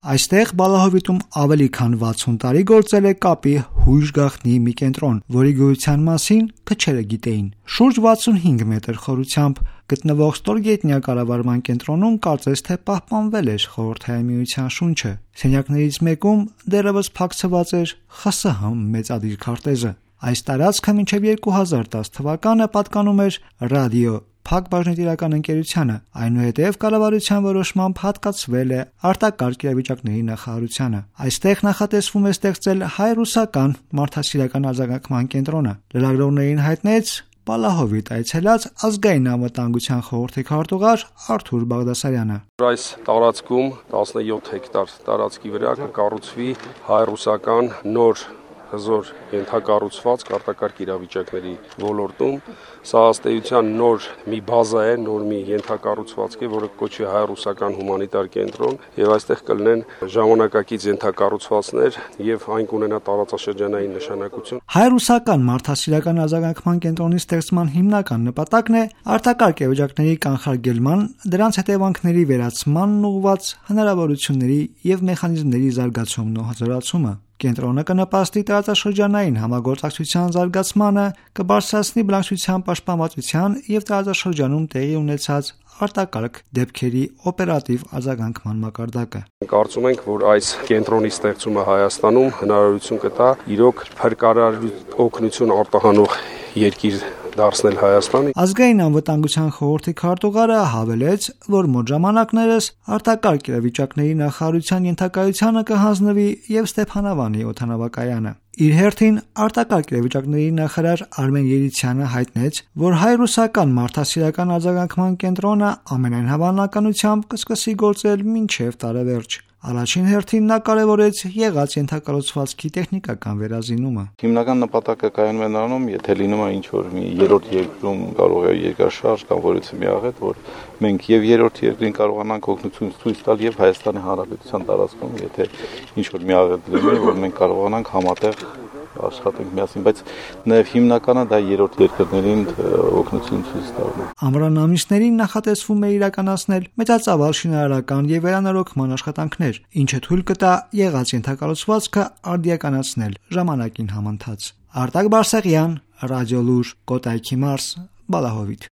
Այստեղ Բալահովիտում ավելի քան 60 տարի գործել է կապի հույժ գաղտնի մի կենտրոն, որի գոյության մասին քչերը գիտեին։ Շուրջ 65 մետր խորությամբ գտնվող ստորգետնյա կառավարման կենտրոնում կարծես թե պահպանվել էր Խորհրդային Միության շունչը։ Սենյակներից մեկում դեռևս փակցված էր ԽՍՀՄ մեծադիր քարտեզը։ Այս տարածքը մինչև 2010 թվականը պատկանում էր ռադիո Փակ բաժնետիրական ընկերությանը, այնուհետև կառավարության որոշմամբ հատկացվել է արտակարգ իրավիճակների նախարարությանը։ Այստեղ նախատեսվում է ստեղծել հայ-ռուսական մարդասիրական արձագանքման կենտրոնը։ Լրագրողներին հայտնեց Բալահովիտ այցելած ազգային անվտանգության խորհրդի քարտուղար Արթուր Բաղդասարյանը։ Այս տարածքում 17 հեկտար տարածքի վրա կկառուցվի հայ-ռուսական նոր հզոր ենթակառուցվածք արտակարգ իրավիճակների ոլորտում։ Սա ըստ նոր մի բազա է, նոր մի ենթակառուցվածք է, որը կոչվի հայ-ռուսական հումանիտար կենտրոն, եւ այստեղ կլինեն ժամանակակից ենթակառուցվածքներ եւ այն կունենա տարածաշրջանային նշանակություն։ Հայ-ռուսական մարդասիրական արձագանքման կենտրոնի ստեղծման հիմնական նպատակն է արտակարգ իրավիճակների կանխարգելման, դրանց հետևանքների վերացմանն ուղղված հնարավորությունների եւ մեխանիզմների զարգացումն ու հզորացումը։ Կենտրոնը կնպաստի տարածաշրջանային համագործակցության զարգացմանը, կբարձրացնի բնակչության պաշտպանվածության եւ տարածաշրջանում տեղի ունեցած արտակարգ դեպքերի օպերատիվ արձագանքման մակարդակը։ Կարծում ենք, որ այս կենտրոնի ստեղծումը Հայաստանում հնարավորություն կտա իրոք փրկարար օգնություն արտահանող երկիր դարձնել Հայաստանը։ Ազգային անվտանգության խորհրդի քարտուղարը հավելեց, որ մոտ ժամանակներս արտակարգ իրավիճակների նախարարության ենթակայությանը կհանձնվի եւ Ստեփանավանի օդանավակայանը։ Իր հերթին արտակարգ իրավիճակների նախարար Արմեն Երիցյանը հայտնեց, որ հայ-ռուսական մարդասիրական արձագանքման կենտրոնը ամենայն հավանականությամբ կսկսի գործել մինչև տարեվերջ։ Առաջին հերթին նա կարևորեց եղած ենթակառուցվածքի տեխնիկական վերազինումը։ Հիմնական նպատակը կայանում է նրանում, եթե լինում է ինչ-որ մի երրորդ երկրում կարող է երկրաշարժ կամ որևէ մի աղետ, որ մենք եւ երրորդ երկրին կարողանանք օգնություն ցույց տալ եւ Հայաստանի Հանրապետության տարածքում, եթե ինչ-որ մի աղետ լինի, որ մենք կարողանանք համատեղ աշխատենք միասին, բայց նաև հիմնականը դա երրորդ երկրներին օգնություն ցույց տալն է։ Ամռան ամիսներին նախատեսվում է իրականացնել մեծածավալ շինարարական եւ վերանորոգման աշխատանքներ, ինչը թույլ կտա եղած ենթակառուցվածքը արդիականացնել ժամանակին համընթաց։ Արտակ Բարսեղյան, Ռադիոլուր, Կոտայքի մարզ, Բալահովիտ։